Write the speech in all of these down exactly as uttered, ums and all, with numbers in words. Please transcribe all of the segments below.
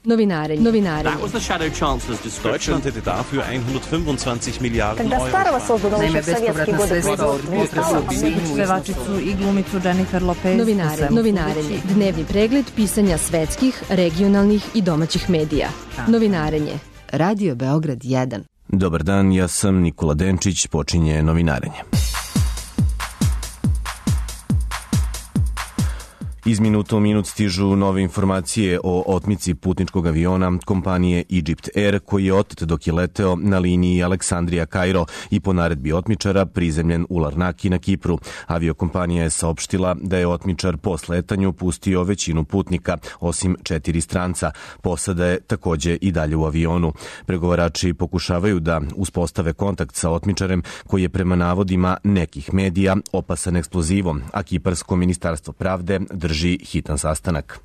Novinarenje. Novinarenje. Deutschland hätte dafür hundertfünfundzwanzig Miliarden Когда старого создано Naime, еще в советские годы производство, pevačicu i glumicu Jennifer Lopez. Novinarenje. Novinarenje. Dnevni pregled pisanja svetskih, regionalnih i domaćih medija. Novinarenje. Radio Beograd jedan. Dobar dan, ja sam Nikola Denčić, počinje Novinarenje. Iz minuta u minut stižu nove informacije o otmici putničkog aviona kompanije Egypt Air koji je otet dok je leteo na liniji Aleksandrija-Kairo i po naredbi otmičara prizemljen u Larnaki na Kipru. Aviokompanija je saopštila da je otmičar po sletanju pustio većinu putnika, osim četiri stranca. Posada je takođe i dalje u avionu. Pregovarači pokušavaju da uspostave kontakt sa otmičarem koji je prema navodima nekih medija opasan eksplozivom, a Kiparsko ministarstvo pravde drži hitan sastanak.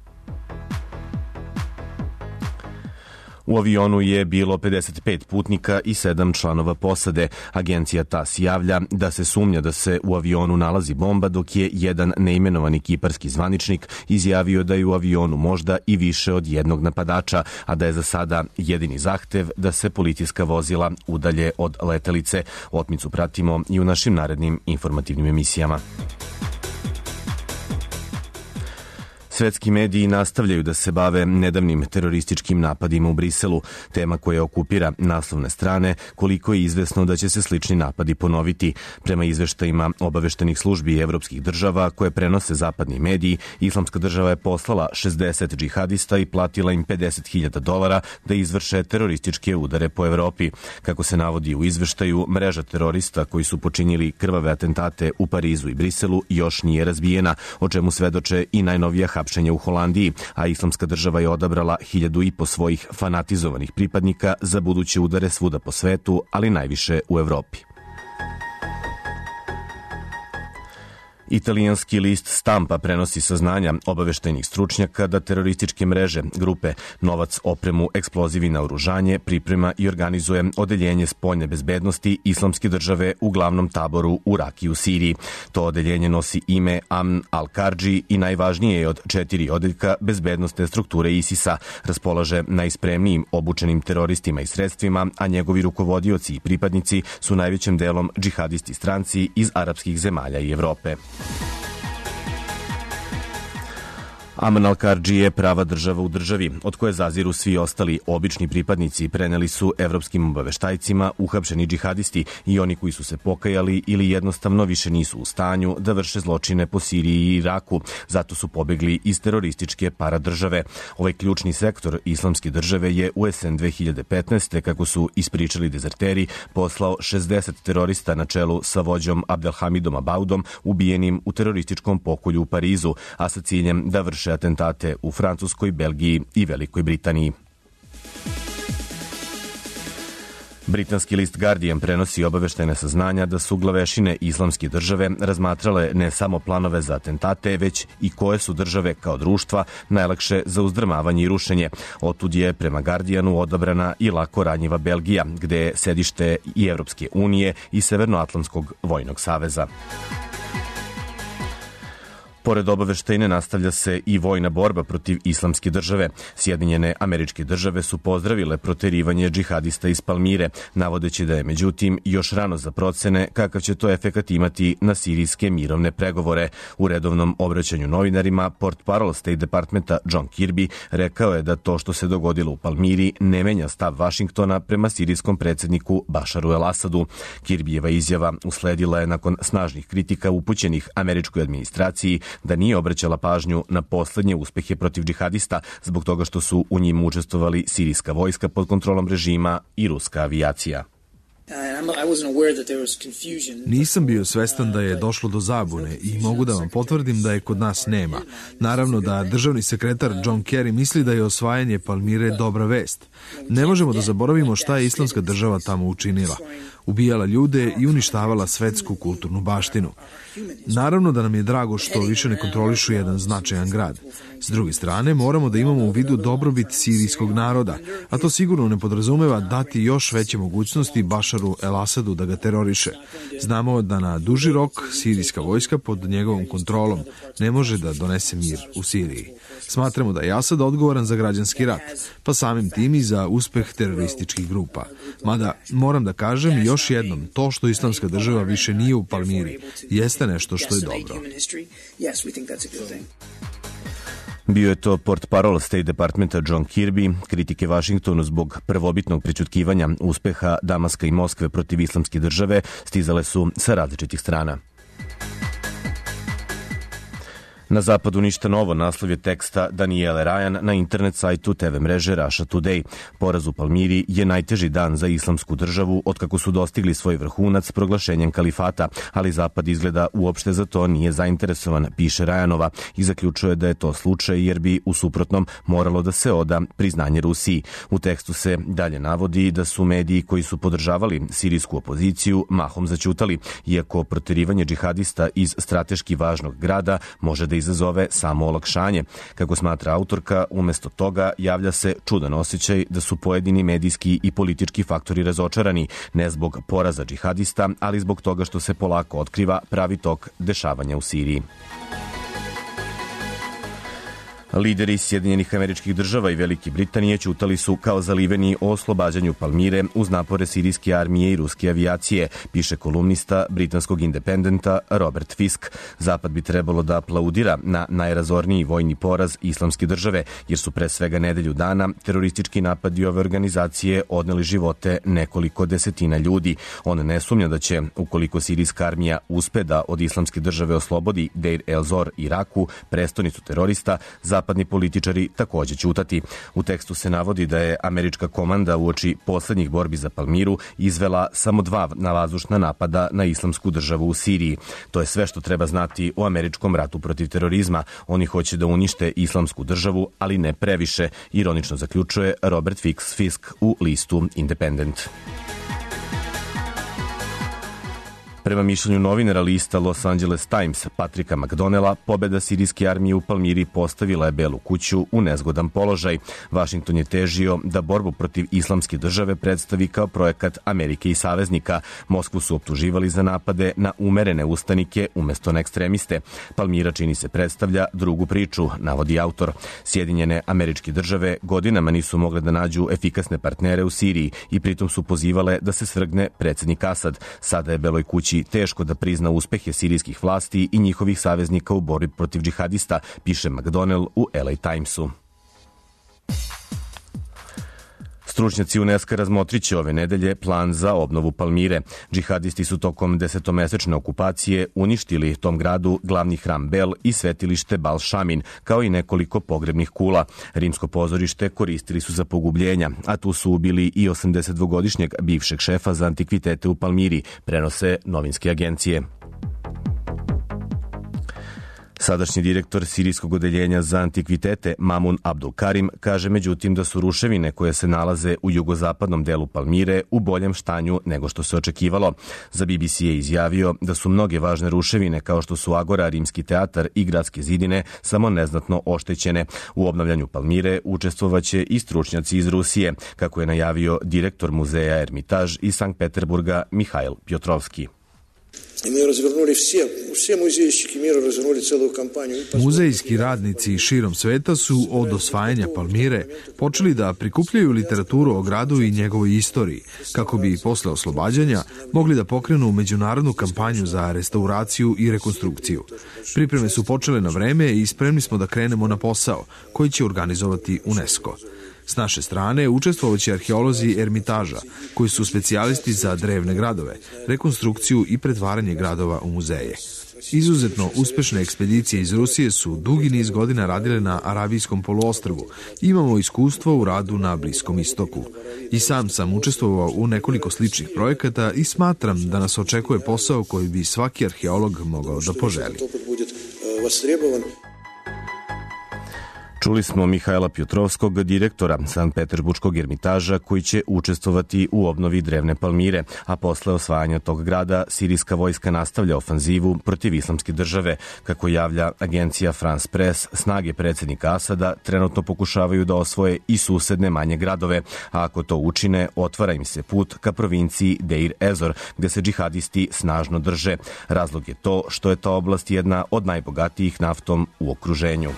U avionu je bilo pedeset pet putnika i sedam članova posade. Agencija T A S javlja da se sumnja da se u avionu nalazi bomba, dok je jedan neimenovani kiparski zvaničnik izjavio da je u avionu možda i više od jednog napadača, a da je za sada jedini zahtev da se policijska vozila udalje od letelice. Otmicu pratimo i u našim narednim informativnim emisijama. Svetski mediji nastavljaju da se bave nedavnim terorističkim napadima u Briselu, tema koja okupira naslovne strane, koliko je izvesno da će se slični napadi ponoviti. Prema izveštajima obaveštenih službi evropskih država koje prenose zapadni mediji, Islamska država je poslala šezdeset džihadista i platila im pedeset hiljada dolara da izvrše terorističke udare po Evropi. Kako se navodi u izveštaju, mreža terorista koji su počinili krvave atentate u Parizu i Briselu još nije razbijena, o čemu svedoče i najnovija hapšenja u Holandiji, a Islamska država je odabrala hiljadu i po svojih fanatizovanih pripadnika za buduće udare svuda po svetu, ali najviše u Evropi. Italijanski list Stampa prenosi saznanja obaveštajnih stručnjaka da terorističke mreže grupe Novac, opremu, eksplozivi, naoružanje priprema i organizuje odeljenje spoljne bezbednosti Islamske države u glavnom taboru u Raki u Siriji. To odeljenje nosi ime Amn al-Karđi i najvažnije je od četiri odeljka bezbednostne strukture ISIS-a. Raspolaže najspremnijim obučenim teroristima i sredstvima, a njegovi rukovodioci i pripadnici su najvećim delom džihadisti stranci iz arapskih zemalja i Evrope. Amn al-Karđi je prava država u državi, od koje zaziru svi ostali obični pripadnici. Preneli su evropskim obaveštajcima uhapšeni džihadisti i oni koji su se pokajali ili jednostavno više nisu u stanju da vrše zločine po Siriji i Iraku. Zato su pobegli iz terorističke paradržave. Ovaj ključni sektor Islamske države je u jesen dve hiljade petnaeste, kako su ispričali dezerteri, poslao šezdeset terorista na čelu sa vođom Abdelhamidom Abaudom, ubijenim u terorističkom pokolju u Parizu, a sa ciljem da vrše atentate u Francuskoj, Belgiji i Velikoj Britaniji. Britanski list Guardian prenosi obaveštajne saznanja da su glavešine Islamske države razmatrale ne samo planove za atentate, već i koje su države kao društva najlakše za uzdrmavanje i rušenje. Otud je prema Guardianu odabrana i lako ranjiva Belgija, gde je sedište i Evropske unije i Severnoatlantskog vojnog saveza. Pored obaveštajne nastavlja se i vojna borba protiv Islamske države. Sjedinjene Američke države su pozdravile proterivanje džihadista iz Palmire, navodeći da je međutim još rano za procene kakav će to efekat imati na sirijske mirovne pregovore. U redovnom obraćanju novinarima portparol State Departmenta John Kirby rekao je da to što se dogodilo u Palmiri ne menja stav Vašingtona prema sirijskom predsjedniku Bašaru el-Asadu. Kirbijeva izjava usledila je nakon snažnih kritika upućenih američkoj administraciji da nije obraćala pažnju na poslednje uspehe protiv džihadista zbog toga što su u njim učestvovali sirijska vojska pod kontrolom režima i ruska avijacija. Nisam bio svestan da je došlo do zabune i mogu da vam potvrdim da je kod nas nema. Naravno da državni sekretar John Kerry misli da je osvajanje Palmire dobra vest. Ne možemo da zaboravimo šta je Islamska država tamo učinila. ubijala ljude i uništavala svetsku kulturnu baštinu. Naravno da nam je drago što više ne kontrolišu jedan značajan grad. S druge strane, moramo da imamo u vidu dobrobit sirijskog naroda, a to sigurno ne podrazumeva dati još veće mogućnosti Bašaru el-Asadu da ga teroriše. Znamo da na duži rok sirijska vojska pod njegovom kontrolom ne može da donese mir u Siriji. Smatramo da je Asad odgovoran za građanski rat, pa samim tim i za uspeh terorističkih grupa. Mada, moram da kažem još jednom, to što Islamska država više nije u Palmiri jeste nešto što je dobro. Bio je to portparol State Departmenta John Kirby. Kritike Vašingtonu zbog prvobitnog prećutkivanja uspeha Damaska i Moskve protiv Islamske države stizale su sa različitih strana. Na zapadu ništa novo, naslov je teksta Daniele Ryan na internet sajtu te ve mreže Russia Today. Poraz u Palmiri je najteži dan za Islamsku državu otkako su dostigli svoj vrhunac proglašenjem kalifata, ali zapad izgleda uopšte za to nije zainteresovan, piše Rajanova, i zaključuje da je to slučaj jer bi u suprotnom moralo da se oda priznanje Rusiji. U tekstu se dalje navodi da su mediji koji su podržavali sirijsku opoziciju mahom zaćutali, iako proterivanje džihadista iz strateški važnog grada može da izazove samo olakšanje. Kako smatra autorka, umesto toga javlja se čudan osjećaj da su pojedini medijski i politički faktori razočarani, ne zbog poraza džihadista, ali zbog toga što se polako otkriva pravi tok dešavanja u Siriji. Lideri Sjedinjenih Američkih Država i Velike Britanije ćutali su kao zaliveni o oslobađanju Palmire uz napore sirijske armije i ruske avijacije, piše kolumnista britanskog Independenta Robert Fisk. Zapad bi trebalo da aplaudira na najrazorniji vojni poraz Islamske države, jer su pre svega nedelju dana teroristički napadi ove organizacije odneli živote nekoliko desetina ljudi. On ne sumnja da će, ukoliko sirijska armija uspe da od Islamske države oslobodi Deir el-Zor Iraku, prestonicu terorista, zapadni političari takođe ćutati. U tekstu se navodi da je američka komanda uoči poslednjih borbi za Palmiru izvela samo dva navazdušna napada na Islamsku državu u Siriji. To je sve što treba znati o američkom ratu protiv terorizma. Oni hoće da unište Islamsku državu, ali ne previše, ironično zaključuje Robert Fisk u listu Independent. Prema mišljenju novinara lista Los Angeles Times Patricka McDonnella, pobeda sirijske armije u Palmiri postavila je Belu kuću u nezgodan položaj. Vašington je težio da borbu protiv Islamske države predstavi kao projekat Amerike i saveznika. Moskvu su optuživali za napade na umerene ustanike umesto na ekstremiste. Palmira, čini se, predstavlja drugu priču, navodi autor. Sjedinjene Američke države godinama nisu mogle da nađu efikasne partnere u Siriji i pritom su pozivale da se svrgne predsednik Asad. Sada je Beloj kući teško da prizna uspehe sirijskih vlasti i njihovih saveznika u borbi protiv džihadista, piše McDonnell u L A Timesu. Stručnjaci UNESCO razmotriće ove nedelje plan za obnovu Palmire. Džihadisti su tokom desetomesečne okupacije uništili tom gradu glavni hram Bel i svetilište Bal Šamin, kao i nekoliko pogrebnih kula. Rimsko pozorište koristili su za pogubljenja, a tu su ubili i osamdesetdvogodišnjeg bivšeg šefa za antikvitete u Palmiri, prenose novinske agencije. Sadašnji direktor sirijskog odeljenja za antikvitete Mamun Abdul Karim kaže međutim da su ruševine koje se nalaze u jugozapadnom delu Palmire u boljem stanju nego što se očekivalo. Za B B C je izjavio da su mnoge važne ruševine kao što su Agora, Rimski teatar i gradske zidine samo neznatno oštećene. U obnavljanju Palmire učestvovaće i stručnjaci iz Rusije, kako je najavio direktor muzeja Ermitaž iz Sankt Peterburga Mihail Pjotrovski. Muzejski radnici širom sveta su od osvajanja Palmire počeli da prikupljaju literaturu o gradu i njegovoj istoriji, kako bi posle oslobađanja mogli da pokrenu međunarodnu kampanju za restauraciju i rekonstrukciju. Pripreme su počele na vreme i spremni smo da krenemo na posao koji će organizovati UNESCO. S naše strane učestvovaće arheolozi Ermitaža, koji su specijalisti za drevne gradove, rekonstrukciju i pretvaranje gradova u muzeje. Izuzetno uspešne ekspedicije iz Rusije su dugi niz godina radile na Arabijskom poluostrvu. Imamo iskustvo u radu na Bliskom istoku. I sam sam učestvovao u nekoliko sličnih projekata i smatram da nas očekuje posao koji bi svaki arheolog mogao da poželi. Čuli smo Mihajla Pjotrovskog, direktora Sankt Peterburškog Ermitaža, koji će učestvovati u obnovi drevne Palmire, a posle osvajanja tog grada sirijska vojska nastavlja ofanzivu protiv islamske države. Kako javlja agencija France Press, snage predsjednika Asada trenutno pokušavaju da osvoje i susedne manje gradove, a ako to učine, otvara im se put ka provinciji Deir Ezor, gde se džihadisti snažno drže. Razlog je to što je ta oblast jedna od najbogatijih naftom u okruženju.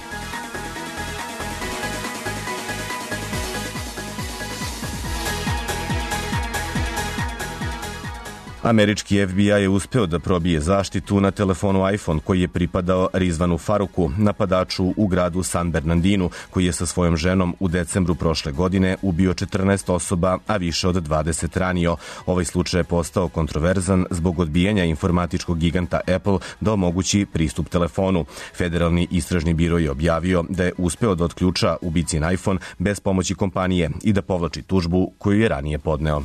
Američki F B I je uspeo da probije zaštitu na telefonu iPhone koji je pripadao Rizvanu Faruku, napadaču u gradu San Bernardinu, koji je sa svojom ženom u decembru prošle godine ubio četrnaest osoba, a više od dvadeset ranio. Ovaj slučaj je postao kontroverzan zbog odbijanja informatičkog giganta Apple da omogući pristup telefonu. Federalni istražni biro je objavio da je uspeo da otključa ubicin iPhone bez pomoći kompanije i da povlači tužbu koju je ranije podneo.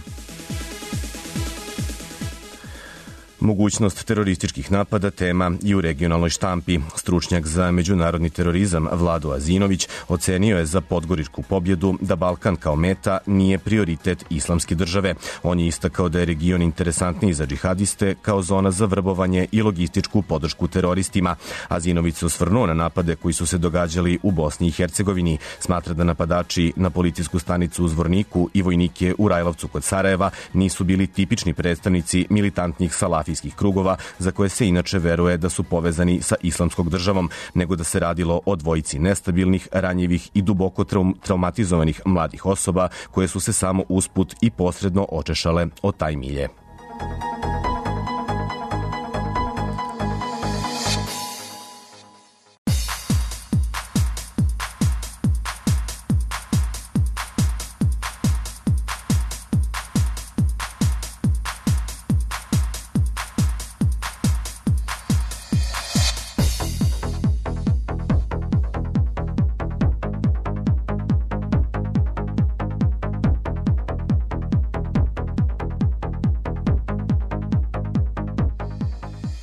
Mogućnost terorističkih napada tema i u regionalnoj štampi. Stručnjak za međunarodni terorizam Vlado Azinović ocenio je za podgoričku pobjedu da Balkan kao meta nije prioritet islamske države. On je istakao da je region interesantniji za džihadiste kao zona za vrbovanje i logističku podršku teroristima. Azinović se osvrnuo na napade koji su se događali u Bosni i Hercegovini. Smatra da napadači na policijsku stanicu u Zvorniku i vojnike u Rajlovcu kod Sarajeva nisu bili tipični predstavnici militantnih salafijskih krugova za koje se inače veruje da su povezani sa islamskom državom, nego da se radilo o dvojici nestabilnih, ranjivih i duboko traum- traumatizovanih mladih osoba koje su se samo usput i posredno očešale o taj milje.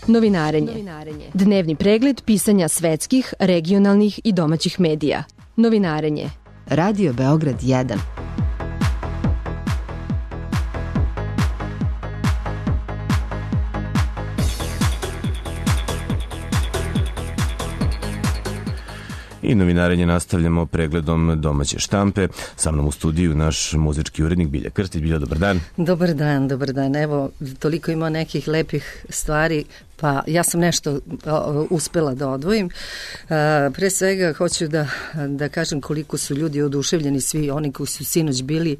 Novinarenje. Dnevni pregled pisanja svetskih, regionalnih i domaćih medija. Novinarenje. Radio Beograd jedan. I novinarenje nastavljamo pregledom domaće štampe. Sa mnom u studiju naš muzički urednik Bilja Krstić. Bilja, dobar dan. Dobar dan, dobar dan. Evo, toliko ima nekih lepih stvari, pa ja sam nešto o, uspela da odvojim. A, pre svega hoću da, da kažem koliko su ljudi oduševljeni, svi oni koji su sinoć bili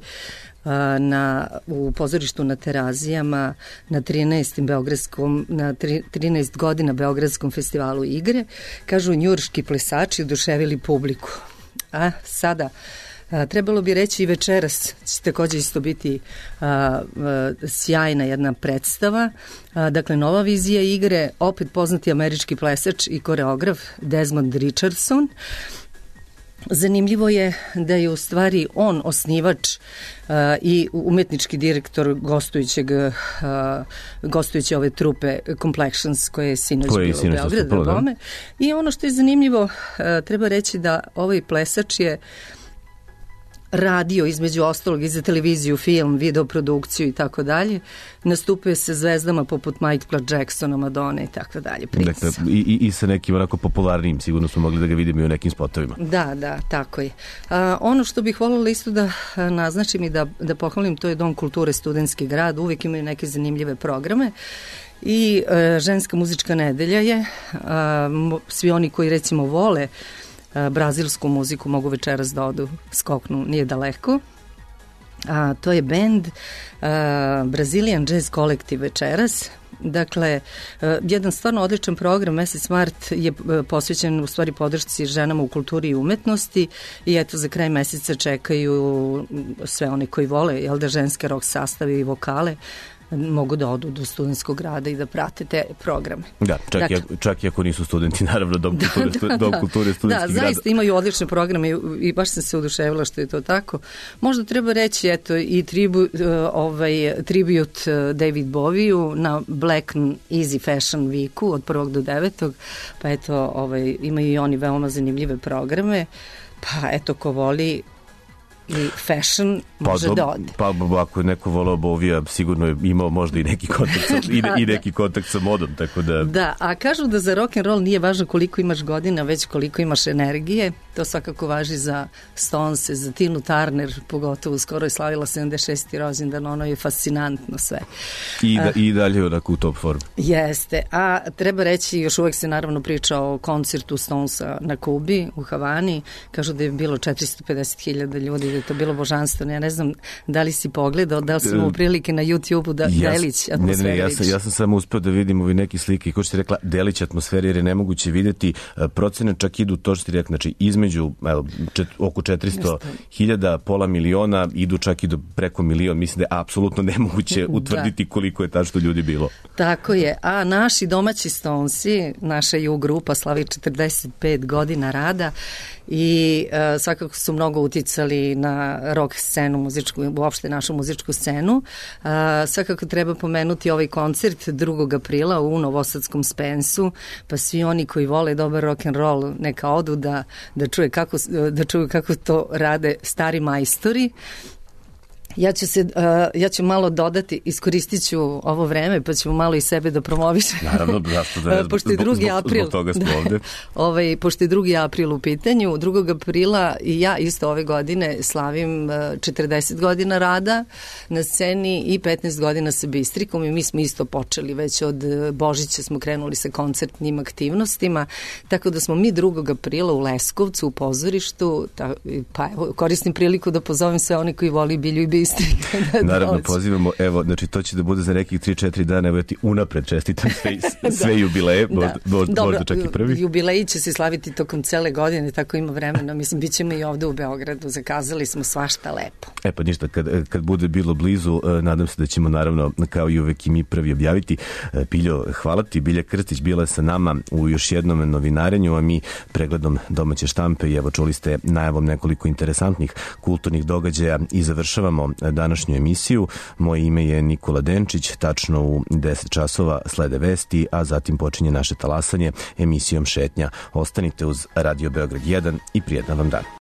na, u pozorištu na Terazijama na trinaestom beogradskom na trinaest godina Beogradskom festivalu igre. Kažu, njujorški plesači oduševili publiku. A sada a, trebalo bi reći i večeras će također isto biti a, a, sjajna jedna predstava. A, dakle, nova vizija igre, opet poznati američki plesač i koreograf Desmond Richardson. Zanimljivo je da je u stvari on osnivač uh, i umetnički direktor gostujućeg uh, gostujuće ove trupe Complexions koje je sinoć bilo u Beogradu. I ono što je zanimljivo, uh, treba reći da ovaj plesač je radio između ostalog i za televiziju, film, videoprodukciju i tako dalje. Nastupuje se zvezdama poput Michaela Jacksona, Madonna i tako dalje. Dakle, i, i sa nekim onako popularnim, sigurno smo mogli da ga vidimo i u nekim spotovima. Da, da, tako je. A, ono što bih voljela isto da naznačim i da, da pohvalim, to je Dom kulture Studentski grad. Uvijek imaju neke zanimljive programe. I a, ženska muzička nedelja je. A, svi oni koji recimo vole brazilsku muziku mogu večeras da odu, skoknu, nije daleko. A, to je band a, Brazilian Jazz Collective večeras. Dakle, a, jedan stvarno odličan program. Mesec mart je a, posvećen u stvari podršci ženama u kulturi i umetnosti i eto za kraj meseca čekaju sve one koji vole, jel da, ženske rock sastave i vokale mogu da odu do studentskog grada i da prate te programe. Da, čak, dakle, i, čak i ako nisu studenti, naravno, Dom kulture, da, da, dom kulture studentski grad. Da, zaista imaju odlične programe i, i baš sam se oduševila što je to tako. Možda treba reći, eto, i tribu, ovaj, tribut David Boviju na Black Easy Fashion Weeku od prvog do devetog, pa eto, ovaj, imaju i oni veoma zanimljive programe. Pa eto, ko voli i fashion može pa, da ode. Pa ako je neko volao Bovija, sigurno je imao možda i neki kontakt sa, i, i neki kontakt sa modom, tako da... Da, a kažu da za rock and roll nije važno koliko imaš godina, već koliko imaš energije. To svakako važi za Stones, za Tinu Turner, pogotovo skoro je slavila sedamdeset šesti rođendan, ono je fascinantno sve. I, da, i dalje onako u top formu. Jeste, a treba reći, još uvek se naravno priča o koncertu Stonesa na Kubi, u Havani, kažu da je bilo četiristo pedeset hiljada ljudi, da je to bilo božanstveno. Ja ne znam da li si pogledao, da li si imao prilike na YouTube-u da ja, delić atmosfera. Ne, ne, ja sam, ja sam samo uspeo da vidim ovi neki slike i ko što ti rekla, delić atmosfere jer je nemoguće videti. Procene čak idu to što ti rekla, znači između evo, čet, oko četiristo hiljada, pola miliona, idu čak i do preko milion. Mislim da je apsolutno nemoguće utvrditi da. Koliko je tačno ljudi bilo. Tako je, a naši domaći Stonesi, naša ju grupa slavi četrdeset pet godina rada i uh, svakako su mnogo uticali na rock scenu, muzičku, uopšte našu muzičku scenu. Uh, svakako treba pomenuti ovaj koncert drugog aprila u Novosadskom Spensu, pa svi oni koji vole dobar rock and roll neka odu da, da, čuje kako, da čuju kako to rade stari majstori. Ja ću, se, uh, ja ću malo dodati, iskoristit ću ovo vreme, pa ćemo malo i sebe da promovišem. Naravno, zašto da ne, pošto je drugi april, zbog toga smo ovde. ovaj, pošto je drugi april u pitanju, drugog aprila i ja isto ove godine slavim uh, četrdeset godina rada na sceni i petnaest godina sa Bistrikom i mi smo isto počeli, već od Božića smo krenuli sa koncertnim aktivnostima, tako da smo mi drugog aprila u Leskovcu u pozorištu, ta, pa evo, koristim priliku da pozovem sve oni koji voli Bilju i Bistrik. Da naravno, pozivamo, evo, znači to će da bude za nekih tri četiri dana, evo ja ti unapred čestitam sve, sve jubileje, da. možda, možda, Dobro, možda čak i prvi. Jubileji će se slaviti tokom cele godine, tako ima vremena, mislim, bit ćemo i ovde u Beogradu, zakazali smo svašta lepo. E pa ništa, kad, kad bude bilo blizu, nadam se da ćemo naravno, kao i uvek i mi prvi objaviti. Piljo, hvala ti, Bilja Krstić bila je sa nama u još jednom novinarenju, a mi pregledom domaće štampe i evo čuli ste najavom nekoliko interesantnih kulturnih događaja i završavamo današnju emisiju. Moje ime je Nikola Denčić, tačno u deset časova slede vesti, a zatim počinje naše talasanje emisijom Šetnja. Ostanite uz Radio Beograd jedan i prijetan vam dan.